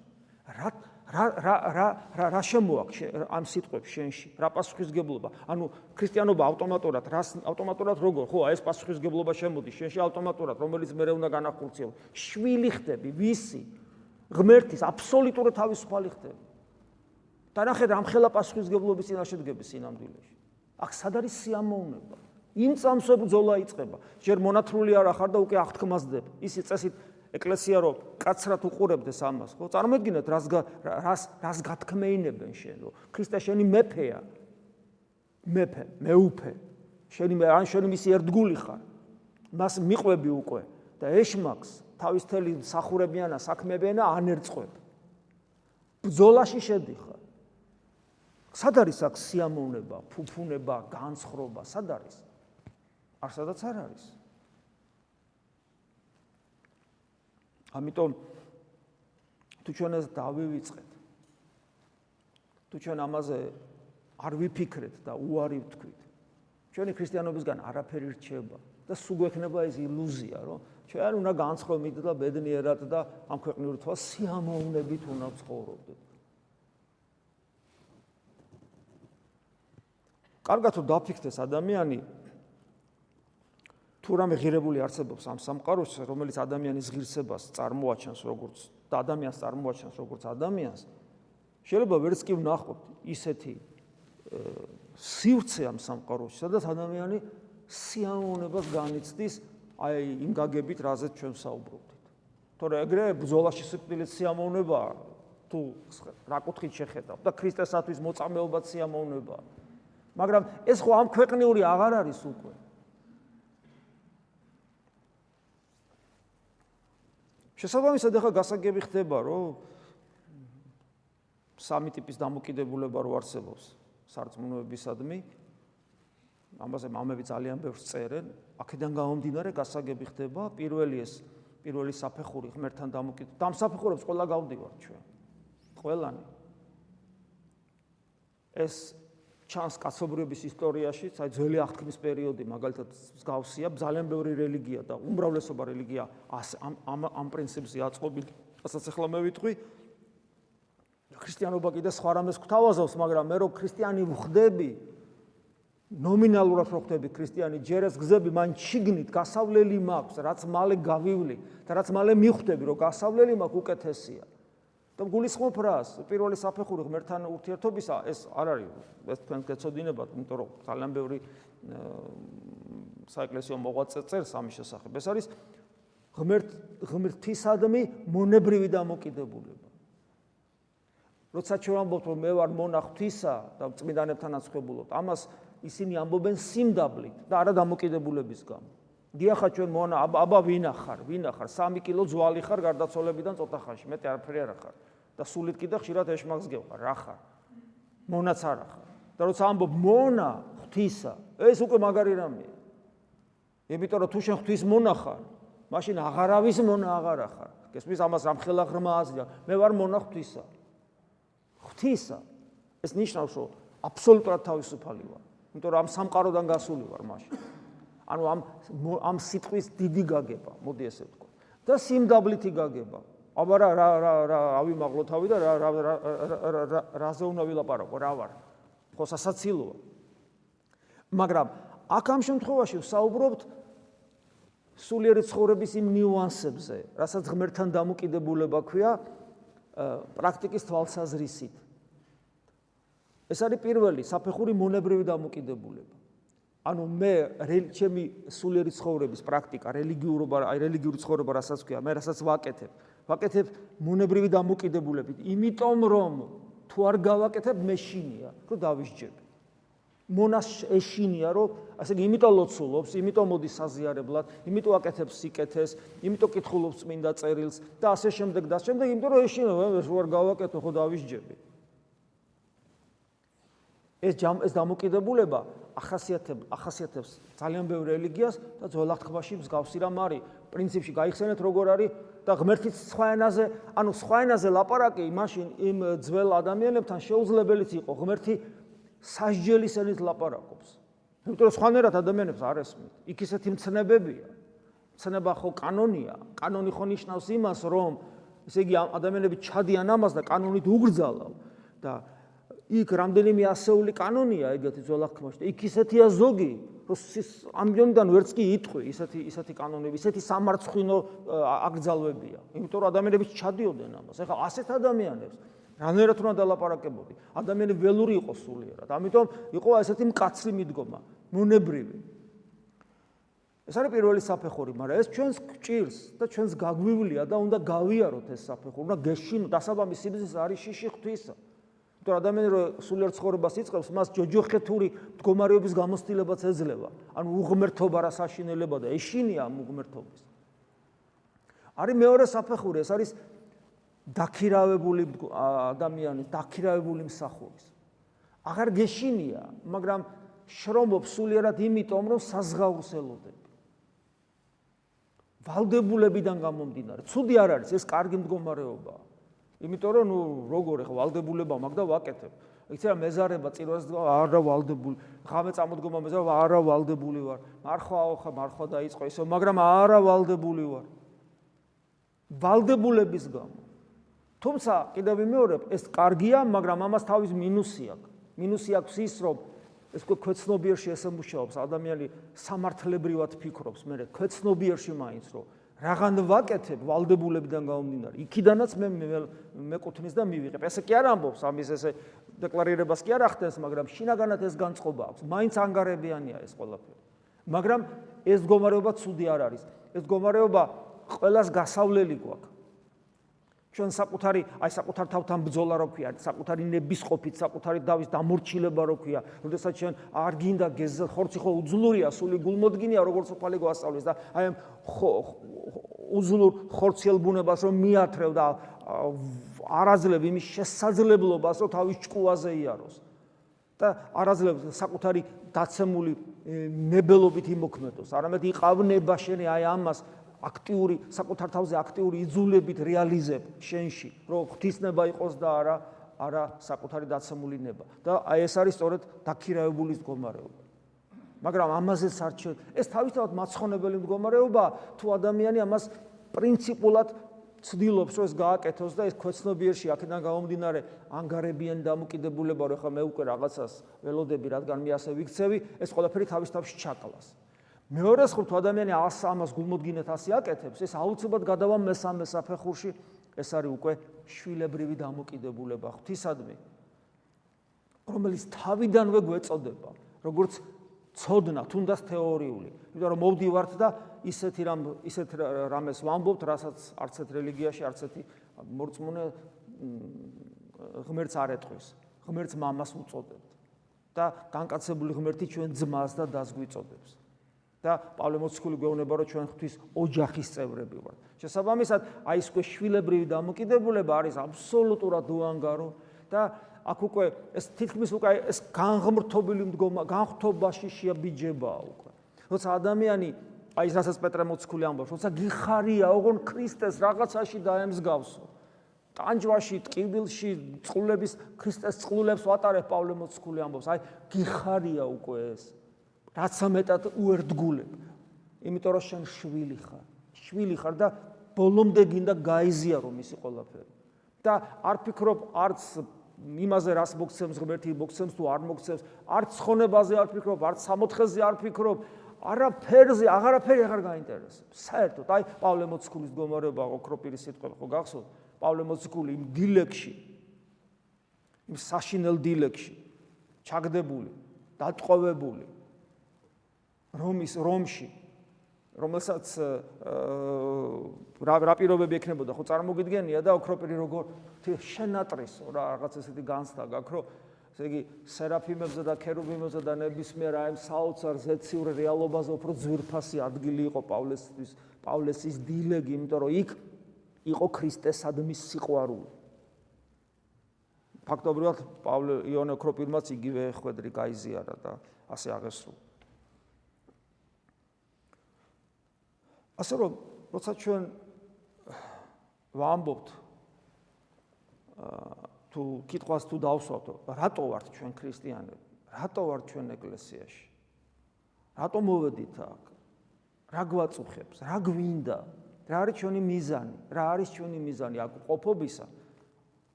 რა შემოაქვს ამ სიტყვებს შენში? რა პასუხისგებლობა? ანუ ქრისტიანობა ავტომატურად როგორ? ხო, ეს პასუხისგებლობა შემოდის შენში ავტომატურად, რომელიც მე უნდა განახორციელო. შვილი ხდები, ვისი? ღმერთის აბსოლუტურად თავისუფალი ხდები. და ნახე რამხელა პასუხისგებლობის წინაშე დგები სინამდვილეში. აქ სად არის სიამოვნება? იმ წამს ბრძოლა იწყება. ჯერ მონათრული არ ახარ და უკვე აღთქმასდებ. ისი წესით ეკლესია რო კაცრად უყურებდეს ამას, ხო? წარმოიდგინეთ რას გათქმეინებენ შენ, რომ ქრისტე შენი მეფეა. მეუფე. შენი მისი ერთგული ხარ. მას მიყვები უკვე და ეშმაკს თავის თელი სახურებიანა საქმეებიანა ანერწყებ. ბრძოლაში შედიხარ. სად არის აქ სიამოვნება, ფუფუნება, განცხრობა, სად არის? არსადაც არ არის. ამიტომ თუ ჩვენ ეს დავივიწყეთ, თუ ჩვენ ამაზე არ ვიფიქრეთ და უარი ვთქვით, ჩვენი ქრისტიანობისგან არაფერი რჩება და სულ გვექნება ეს ილუზია, რომ ჩვენ უნდა განცხრომით და ბედნიერად და ამ ქვეყნიურ თვალს სიამოვნებით უნდა ვცხოვრობდეთ. კარგად თუ დაფიქრდეს ადამიანი თუ რამე ღირებული არსებობს ამ სამყაროში, რომელიც ადამიანის ღირსებას წარმოაჩენს როგორც და ადამიანს წარმოაჩენს როგორც ადამიანს, შეიძლება ვერც კი ვნახოთ ისეთი სივრცე ამ სამყაროში, სადაც ადამიანი სიამოვნებას განიცდის აი იმ გაგებით, რაზეც ჩვენ საუბრობდით. თორე ეგრე ბრძოლაში სიკვდილით სიამოვნებაა, თუ რა კუთხით შეხედავ და ქრისტესათვის მოწამეობაც სიამოვნებაა. მაგრამ ეს ხო ამ ქვეყნიური აღარ არის უკვე. შესაბამისად ახლა გასაგები ხდება, რომ სამი ტიპის დამოკიდებულება რო არსებობს სარწმუნოებისადმი, ამაზე მამები ძალიან ბევრს წერენ, აქედან გამომდინარე გასაგები ხდება, პირველი საფეხური ღმერთთან დამოკიდებულება. და ამ საფეხურებს ყველა გავდივართ ჩვენ. ყველანი. ეს ჩანს კაცობრიობის ისტორიაში, ძველი აღთქმის პერიოდი მაგალითად მსგავსია, ძალიან ბევრი რელიგია და უმრავლესობა რელიგია ამ პრინციპზე აწყობილი, რასაც ახლა მე ვიტყვი. ქრისტიანობა კიდე სხვა რამეს გვთავაზობს, მაგრამ მე რო ქრისტიანი ვხდები, ნომინალურად რო ხდები ქრისტიანი, ჯერ ეს გზები მან შიგნით გასავლელი მაქვს, რაც მალე გავივლი და რაც მალე მიხვდები, რომ გასავლელი მაქვს უკეთესია. და გულისხმობ რას? პირველი საფეხური ღმერთთან ურთიერთობისა, ეს არ არის, ეს თქვენ გეცოდინებათ, იმიტომ რომ ძალიან ბევრი საეკლესიო მოღვაწე წერს ამის შესახებ. ეს არის ღმერთისადმი მონებრივი დამოკიდებულება. როცა ჩვენ ამბობთ, რომ მე ვარ მონა ღვთისა და წმინდანებთანაც ხვებულობთ, ამას ისინი ამბობენ სიმდაბლით და არა დამოკიდებულების გამო. დიახა ჩვენ მონა, აბა ვინ ახარ? 3 კილო ძვალი ხარ გარდაცვალებიდან ცოტა ხანში, მეტი არაფერი არ ახარ. და სულით კიდე ხშირად ეშმაკს გევხარ, რა ხარ? მონაც არ ახარ. და როცა ამბობ მონა ღვთისა, ეს უკვე მაგარი რამეა. იმიტომ რომ თუ შენ ღვთის მონა ხარ, მაშინ აღარავის მონა აღარ ახარ. გესმის ამას რამხელა ღრმა აზრია. მე ვარ მონა ღვთისა. ღვთისა. ეს ნიშნავს, რომ აბსოლუტურად თავისუფალი ვარ. იმიტომ რომ ამ სამყაროდან გასული ვარ მაშინ. ანუ ამ სიტყვის დიდი გაგება, მოდი ესე ვთქვა. და სიმდაბლითი გაგება. აბა რა ავიმაღლო თავი და რაზე უნდა ვილაპარაკო, რა ვარ? ხო სასაცილოა. მაგრამ აქ ამ შემთხვევაში ვსაუბრობთ სულიერი ცხოვრების იმ ნიუანსებზე, რასაც ღმერთთან დამოკიდებულება ქვია პრაქტიკის თვალსაზრისით. ეს არის პირველი საფეხური მონებრივი დამოკიდებულება. ანუ მე ჩემი სულიერი ცხოვრების პრაქტიკა, რელიგიური ცხოვრება, რასაც ქვია, მე რასაც ვაკეთებ მონებრივი დამოკიდებულებით, იმიტომ რომ თუ არ გავაკეთებ, მე შინია, რომ დავისჯები. მონას ეშინია, რომ ასე იგი იმიტომ ლოცულობს, იმიტომ მოდის საზიარებლად, იმიტომ აკეთებს სიკეთეს, იმიტომ კითხულობს წმინდა წერილს და ასე შემდეგ, იმიტომ რომ ეშინა, რო არ გავაკეთო, ხო დავისჯები. ეს დამოკიდებულება ახასიათებს ძალიან ბევრ რელიგიას და ძველ აღთქმაში მსგავსი რამ არის. პრინციპში გაიხსენეთ როგორ არის და ღმერთიც სხვა ენაზე, სხვა ენაზე ლაპარაკი მაშინ იმ ძველ ადამიანებთან შეუძლებელიც იყო. ღმერთი სასჯელის ენით ლაპარაკობს. იმიტომ რომ სხვანაირად ადამიანებს არ ესმით. იქ ისეთი მცნებებია. მცნება ხო კანონია. კანონი ხო ნიშნავს იმას, რომ ესე იგი ადამიანები ჩადიან ამას და კანონით უგრძალავ და იქ რამდენიმე ასეული კანონია ეგეთი ძველ აღთქმაში და იქ ისეთია ზოგი, რომ ამბიონიდან ვერც კი იტყვი ისეთი კანონები, ისეთი სამარცხვინო აკრძალვებია. იმიტომ რომ ადამიანები ჩადიოდნენ ამას. ეხლა ასეთ ადამიანებს რანაირად უნდა დალაპარაკებოდი? ადამიანები ველური იყო სულიერად. ამიტომ იყო ესეთი მკაცრი მიდგომა, მონებრივი. ეს არის პირველი საფეხური, მაგრამ ეს ჩვენს გჭირს და ჩვენს გაგვივლია და უნდა გავიაროთ ეს საფეხური, უნდა გეშინოთ, დასაბამი სიბრძნეს არის შიში ღვთისა. იმიტომ რომ ადამიანი რო სულიერ ცხოვრებას იწყებს, მას ჯოჯოხეთური მდგომარეობის გამოცდილებაც ეძლევა. ანუ უღმერთობა რა საშინელება და ეშინია ამ უღმერთობის. არის მეორე საფეხური, ეს არის დაქირავებული ადამიანი, დაქირავებული მსახურის. აღარ გეშინია, მაგრამ შრომობს სულიერად იმიტომ, რომ საზღაურს ელოდები. ვალდებულებიდან გამომდინარე. ცუდი არ არის, ეს კარგი მდგომარეობაა. იმიტომ რომ როგორ ეხა ვალდებულება მაქვს და ვაკეთებ. იცი რა მეზარება წირვას არა ვალდებული. ღამე წამოდგომა მეზარება არა ვალდებული ვარ. მარხვა დაიწყო ისო, მაგრამ არა ვალდებული ვარ. ვალდებულების გამო. თუმცა კიდევ ვიმეორებ, ეს კარგია, მაგრამ ამას თავის მინუსი აქვს. მინუსი აქვს ის, რომ ეს ქვეცნობიერში ესე მუშაობს, ადამიანი სამართლებრივად ფიქრობს, მე ქვეცნობიერში მაინც რომ რაღაც ვაკეთებ ვალდებულებიდან გამომდინარე. იქიდანაც მე მეკუთვნის და მივიღებ. ესე კი არ ამბობს, ამის ესე დეკლარირებას კი არ ახდენს, მაგრამ შინაგანად ეს განწყობა აქვს. მაინც ანგარებიანია ეს ყველაფერი. მაგრამ ეს მდგომარეობა ცუდი არ არის. ეს მდგომარეობა ყველას გასავლელი გვაქვს. ჩვენ საკუთარ თავთან ბრძოლა რო ქვია, საკუთარი ნებისყოფით, საკუთარი დავის დამორჩილება რო ქვია, როდესაც ჩვენ არ გინდა ხორცი ხო უძლურია, სული გულმოდგინია, როგორც უფალი გვასწავლის და აი ამ უძლურ ხორციელ ბუნებას რომ მიათრევ და არაძლევ იმის შესაძლებლობას, რომ თავის ჭკუაზე იაროს. და არაძლევ საკუთარი დაცემული ნებელობით იმოქმედოს. არამედ იყავნება შენი აი ამას აქტიური საკუთარ თავზე აქტიური იძულებით რეალიზებ შენში, რომ ღვთისნება იყოს და არა საკუთარი დაცემული ნება. და აი ეს არის სწორედ დაქირავებული მდგომარეობა. მაგრამ ამაზეც არჩევ, ეს თავისთავად მაცხონებელი მდგომარეობაა, თუ ადამიანი ამას პრინციპულად ცდილობს, რომ ეს გააკეთოს და ეს ქვეცნობიერში აქედან გამომდინარე ანგარებიანი დამოკიდებულება, რომ ხა მე უკვე რაღაცას ველოდები, რადგან მე ასე ვიქცევი, ეს ყველაფერი თავისთავად ჩაკლას. მეორე მხრივ თუ ადამიანი ამას გულმოდგინედ ასე აკეთებს, ეს აუცილებლად გადავა მესამე საფეხურში, ეს არის უკვე შვილებრივი დამოკიდებულება ღვთისადმი, რომელიც თავიდანვე გვეწოდება, როგორც ცოდნა, თუნდაც თეორიული. იმიტომ რომ მოვდივართ და ისეთ რამეს ვამბობთ, რასაც არც ერთ რელიგიაში, არც ერთი მორწმუნე ღმერთს არ ეტყვის. ღმერთს მამას უწოდებთ და განკაცებული ღმერთი ჩვენ ძმას და დას გვიწოდებს. და პავლე მოციქული გვეუბნება, რომ ჩვენ ღვთის ოჯახის წევრები ვართ. შესაბამისად, აი ეს უკვე შვილებრივი დამოკიდებულება არის აბსოლუტურად უანგარო და აქ უკვე ეს თითქმის უკვე ეს განღმრთობილი განღთობაში შეაბიჯებაა უკვე. როცა ადამიანი აი ეს რასაც პეტრე მოციქული ამბობს, როცა გიხარია ოღონ ქრისტეს რაღაცაში დაემსგავსო. ტანჯვაში, ტკივილში, წყლების ქრისტეს წყლულებს ვატარებ პავლე მოციქული ამბობს, აი გიხარია უკვე ეს. რაც მეტად უერთგულებ. იმიტომ რომ შენ შვილი ხარ და ბოლომდე გინდა გაიზიარო მისი ყველაფერი. და არ ფიქრობ არც იმაზე რას მოგცემს ღმერთი, მოგცემს თუ არ მოგცემს, არც ცხონებაზე არ ფიქრობ, არც სამოთხეზე არ ფიქრობ, არაფერზე, აღარაფერი აღარ გაინტერესებს. საერთოდ, აი პავლე მოციქულის მდგომარეობა, ოქროპირის სიტყვები ხო გახსოვთ? პავლე მოციქული იმ დილეგში, იმ საშინელ დილეგში, ჩაგდებული, დატყვევებული რომში, რომელსაც რა პირობები ექნებოდა, ხო წარმოგიდგენია და ოქროპირი როგორ შენატრისო რა რაღაც ესეთი განცდა გაქვს, რომ ესე იგი სერაფიმებზე და ქერუბიმებზე და ნებისმიერ აი საოცარ ზეციურ რეალობაზე უფრო ძვირფასი ადგილი იყო პავლესის დილეგი, იმიტომ რომ იქ იყო ქრისტესადმის სიყვარული. ფაქტობრივად იონე ოქროპირმაც იგივე ხვედრი გაიზიარა და ასე აღესრულა. ასე რომ, როცა ჩვენ ვამბობთ თუ კითხვას თუ დავსვათ, რატო ვართ ჩვენ ქრისტიანები? რატო ვართ ჩვენ ეკლესიაში? რატო მოვედით აქ? რა გვაწუხებს? რა გვინდა? რა არის ჩვენი მიზანი? რა არის ჩვენი მიზანი აქ ყოფობისა?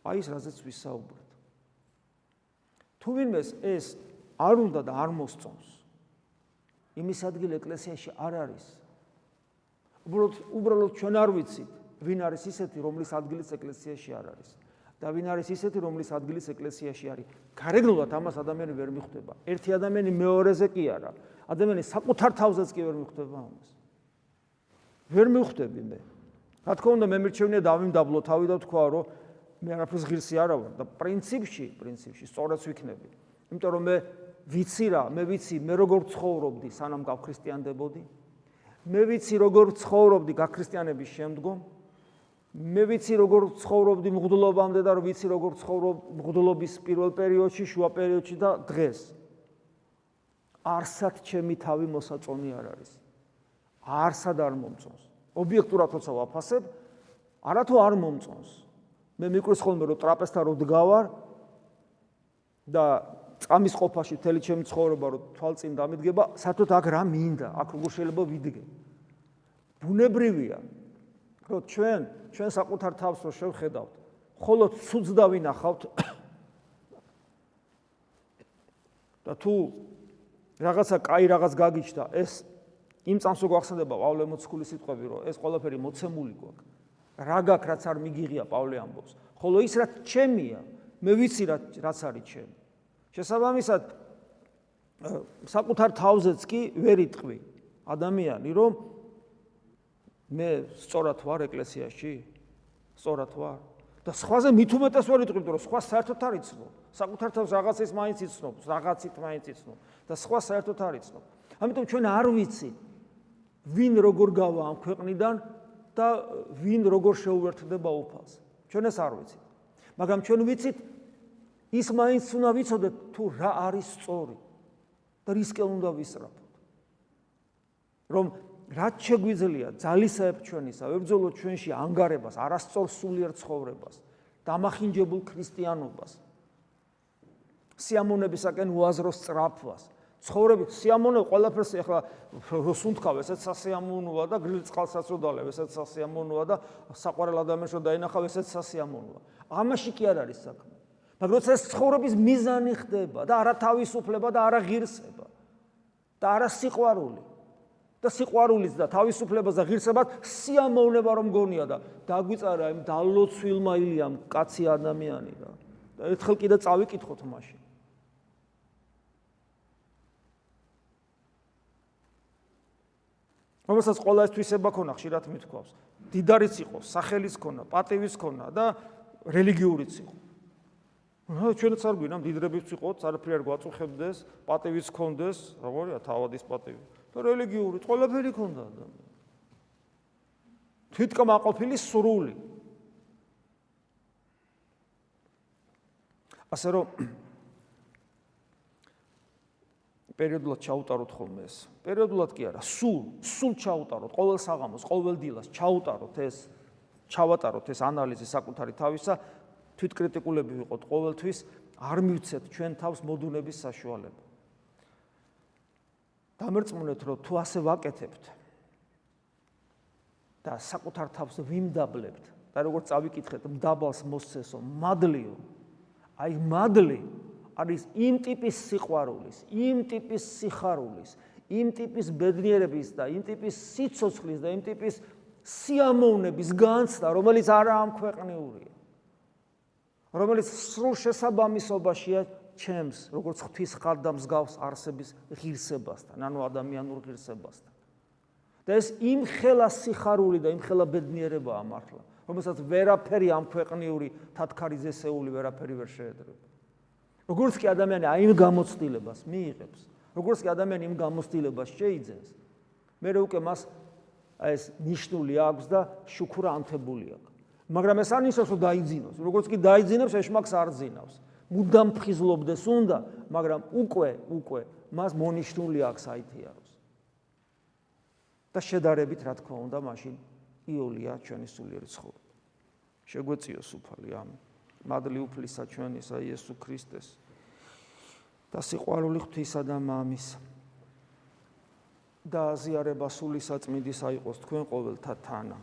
აი ეს რაზეც ვისაუბრეთ. თუ ვინმეს ეს არ უნდა და არ მოსწონს, იმის ადგილი ეკლესიაში არ არის. უბრალოდ ჩვენ არ ვიცით, ვინ არის ისეთი, რომლის ადგილიც ეკლესიაში არ არის და ვინ არის ისეთი, რომლის ადგილიც ეკლესიაში არის. გარეგნულად ამას ადამიანი ვერ მიხვდება. ერთი ადამიანი მეორეზე კი არა. ადამიანი საკუთარ თავზეც კი ვერ მიხვდება ამას. ვერ მივხვდები მე. რა თქმა უნდა, მე მირჩევნია დავიმდაბლო თავი და თქვა, რომ მე არაფერს ღირსი არა ვარ და პრინციპში სწორად ვიქნები. იმიტომ რომ მე ვიცი როგორ ცხოვრობდი სანამ გავქრისტიანდებოდი. მე ვიცი როგორ ცხოვრობდი გაქრისტიანების შემდგომ. მე ვიცი როგორ ცხოვრობდი მღვდლობამდე და ვიცი როგორ ცხოვრობ მღვდლობის პირველ პერიოდში, შუა პერიოდში და დღეს. არსად ჩემი თავი მოსაწონი არ არის. არსად არ მომწონს. ობიექტურად როცა ვაფასებ, არათუ არ მომწონს. მე მიკვირს ხოლმე რომ ტრაპეზთან რო დგავარ და წამის ყოფაში მთელი ჩემი ცხოვრება რო თვალწინ დამიდგება, საერთოდ აქ რა მინდა, აქ როგორ შეიძლება ვიდგე. ბუნებრივია, რომ ჩვენ საკუთარ თავს რო შევხედავთ, მხოლოდ ცუდს დავინახავთ და თუ რაღაცა კაი რაღაც გაგიჩნდა, ეს იმ წამს რო გვახსენდება პავლე მოციქულის სიტყვები, რომ ეს ყველაფერი მოცემული გვაქვს. რა გაქვს, რაც არ მიგიღია, პავლე ამბობს. ხოლო ის რაც ჩემია, მე ვიცი რაც არის ჩემი. შესაბამისად, საკუთარ თავზეც კი ვერ იტყვი ადამიანი, რომ მე სწორად ვარ ეკლესიაში, სწორად ვარ და სხვაზე მით უმეტეს ვერ იტყვი, რომ სხვა საერთოდ არ იცნობ. საკუთარ თავს რაღაცის მაინც იცნობ, რაღაცით მაინც იცნობ და სხვა საერთოდ არ იცნობ. ამიტომ ჩვენ არ ვიცით, ვინ როგორ გავა ამ ქვეყნიდან და ვინ როგორ შეუერთდება უფალს. ჩვენ ეს არ ვიცით. მაგრამ ჩვენ ვიცით, ის მაინც უნდა ვიცოდეთ თუ რა არის სწორი და რისკენ უნდა ვისწრაფოთ. რომ რაც შეგვიძლია ძალისაებ ჩვენისა, ვებრძოლოთ ჩვენში ანგარებას, არასწორ სულიერ ცხოვრებას, დამახინჯებულ ქრისტიანობას, სიამოვნებისაკენ უაზრო სწრაფვას. ცხოვრებით სიამოვნე ყველაფერს ეხლა როსუნთქავ, ესეც სასიამოვნოა და გრილ წყალსაც რო დალევ, ესეც სასიამოვნოა და საყვარელ ადამიანს რო დაინახავ, ესეც სასიამოვნოა. ამაში კი არ არის საქმე. მაგრამ როცა ეს ცხოვრების მიზანი ხდება და არა თავისუფლება და არა ღირსება და არა სიყვარული და სიყვარულიც და თავისუფლებას და ღირსებას სიამოვნება რომ გონია და დაგვიწარა იმ დალოცვილმა ილიამ კაცი ადამიანი და ერთხელ კიდე წავიკითხოთ მაშინ. რომელსაც ყველა ეს თვისება ქონა, ხშირად მithქვავს. დიდარიც იყო, სახელიც ქონა, პატივიც ქონა და რელიგიურიც იყო. ჩვენც არ გვინდა მდიდრებიც ვიყოთ, არაფერი არ გვაწუხებდეს, პატივიც ქონდეს, როგორია თავადის პატივი. და რელიგიური ყველაფერი ქონდა ადამიანს. თვითკმაყოფილი სრული. ასე რომ პერიოდულად ჩაუტაროთ ხოლმე ეს. პერიოდულად კი არა, სულ ჩაუტაროთ, ყოველ საღამოს, ყოველ დილას ჩაუტაროთ ეს, ჩავატაროთ ეს ანალიზი საკუთარი თავისა, თვითკრიტიკულები ვიყოთ ყოველთვის, არ მივცეთ ჩვენ თავს მოდუნების საშუალება. დამერწმუნეთ, რომ თუ ასე ვაკეთებთ და საკუთარ თავს ვიმდაბლებთ და როგორც წავიკითხეთ, მდაბალს მოსცესო, მადლიო. აი მადლი არის იმ ტიპის სიყვარულის, იმ ტიპის სიხარულის, იმ ტიპის ბედნიერების და იმ ტიპის სიცოცხლის და იმ ტიპის სიამოვნების განცდა, რომელიც არაა ამქვეყნიურია. რომელიც სრულ შესაბამისობაშია ჩემს, როგორც ღვთის ხატდა მსგავს არსების ღირსებასთან, ანუ ადამიანურ ღირსებასთან. და ეს იმხელა სიხარული და იმხელა ბედნიერებაა მართლა, რომელსაც ვერაფერი ამქვეყნიური თათქარიძესეული ვერაფერი ვერ შეედრება. როგორც კი ადამიანი აი იმ გამოცდილებას მიიღებს, როგორც კი ადამიანი იმ გამოცდილებას შეიძენს, მე უკვე მას ეს ნიშნული აქვს და შუქურა ანთებული აქვს. მაგრამ ეს არ ნიშნავს, რომ დაიძინოს. როგორც კი დაიძინებს, ეშმაკს არ ძინავს. მუდამ ფხიზლობდეს უნდა, მაგრამ უკვე მას მონიშნული აქვს აითიაროს. და შედარებით, რა თქმა უნდა, მაშინ იოლია ჩვენი სულიერი ცხოვრება. შეგვეციოს უფალი, ამინ. მადლი უფლისა ჩვენისა იესო ქრისტეს და სიყვარული ღვთისა და მამის და აზიარება სული საწმინდისა იყოს თქვენ ყოველთა თანა.